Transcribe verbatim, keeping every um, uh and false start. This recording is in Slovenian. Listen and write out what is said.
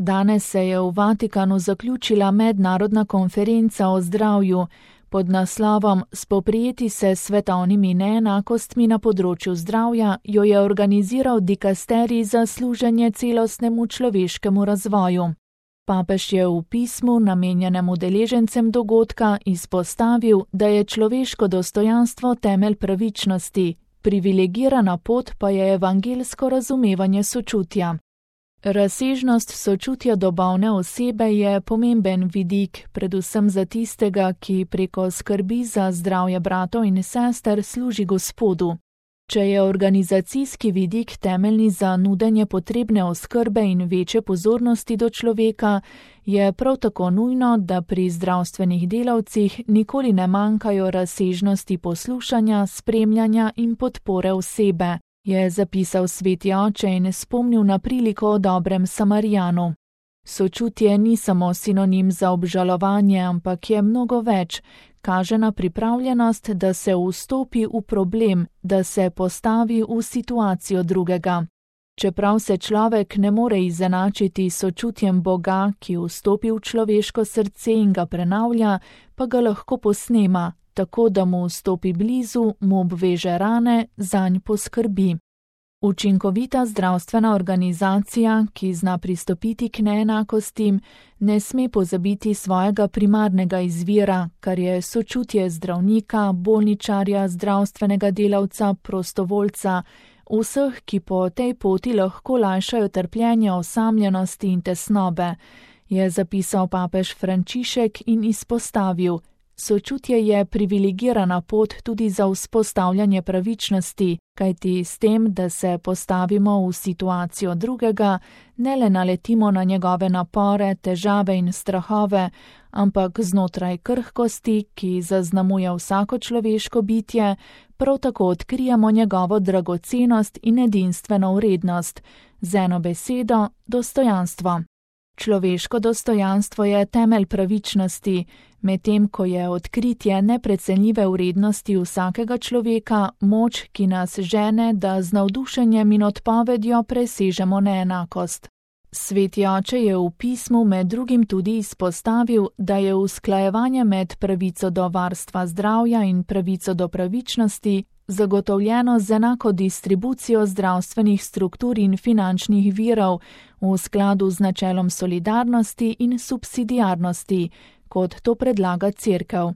Danes se je v Vatikanu zaključila mednarodna konferenca o zdravju pod naslovom Spoprijeti se s svetovnimi neenakostmi na področju zdravja, jo je organiziral dikasterij za služenje celostnemu človeškemu razvoju. Papež je v pismu, namenjenem udeležencem dogodka, izpostavil, da je človeško dostojanstvo temelj pravičnosti, privilegirana pot pa je evangelsko razumevanje sočutja. Razsežnost sočutja do bolne osebe je pomemben vidik, predvsem za tistega, ki preko skrbi za zdravje bratov in sester služi Gospodu. Če je organizacijski vidik temeljni za nudenje potrebne oskrbe in večje pozornosti do človeka, je prav tako nujno, da pri zdravstvenih delavcih nikoli ne manjkajo razsežnosti poslušanja, spremljanja in podpore osebe, je zapisal sveti oče in spomnil na priliko o dobrem Samarijanu. Sočutje ni samo sinonim za obžalovanje, ampak je mnogo več, kaže na pripravljenost, da se vstopi v problem, da se postavi v situacijo drugega. Čeprav se človek ne more izenačiti s sočutjem Boga, ki vstopi v človeško srce in ga prenavlja, pa ga lahko posnema, tako da mu stopi blizu, mu obveže rane, zanj poskrbi. Učinkovita zdravstvena organizacija, ki zna pristopiti k neenakostim, ne sme pozabiti svojega primarnega izvira, kar je sočutje zdravnika, bolničarja, zdravstvenega delavca, prostovoljca, vseh, ki po tej poti lahko lajšajo trpljenje osamljenosti in tesnobe, je zapisal papež Frančišek in izpostavil: sočutje je privilegirana pot tudi za vzpostavljanje pravičnosti, kajti s tem, da se postavimo v situacijo drugega, ne le naletimo na njegove napore, težave in strahove, ampak znotraj krhkosti, ki zaznamuje vsako človeško bitje, prav tako odkrijemo njegovo dragocenost in edinstveno vrednost, z eno besedo dostojanstvo. Človeško dostojanstvo je temelj pravičnosti, medtem ko je odkritje neprecenljive vrednosti vsakega človeka moč, ki nas žene, da z navdušenjem in odpovedjo presežemo neenakost. Sveti oče je v pismu med drugim tudi izpostavil, da je usklajevanje med pravico do varstva zdravja in pravico do pravičnosti zagotovljeno z enako distribucijo zdravstvenih struktur in finančnih virov v skladu z načelom solidarnosti in subsidiarnosti, kot to predlaga Cerkev.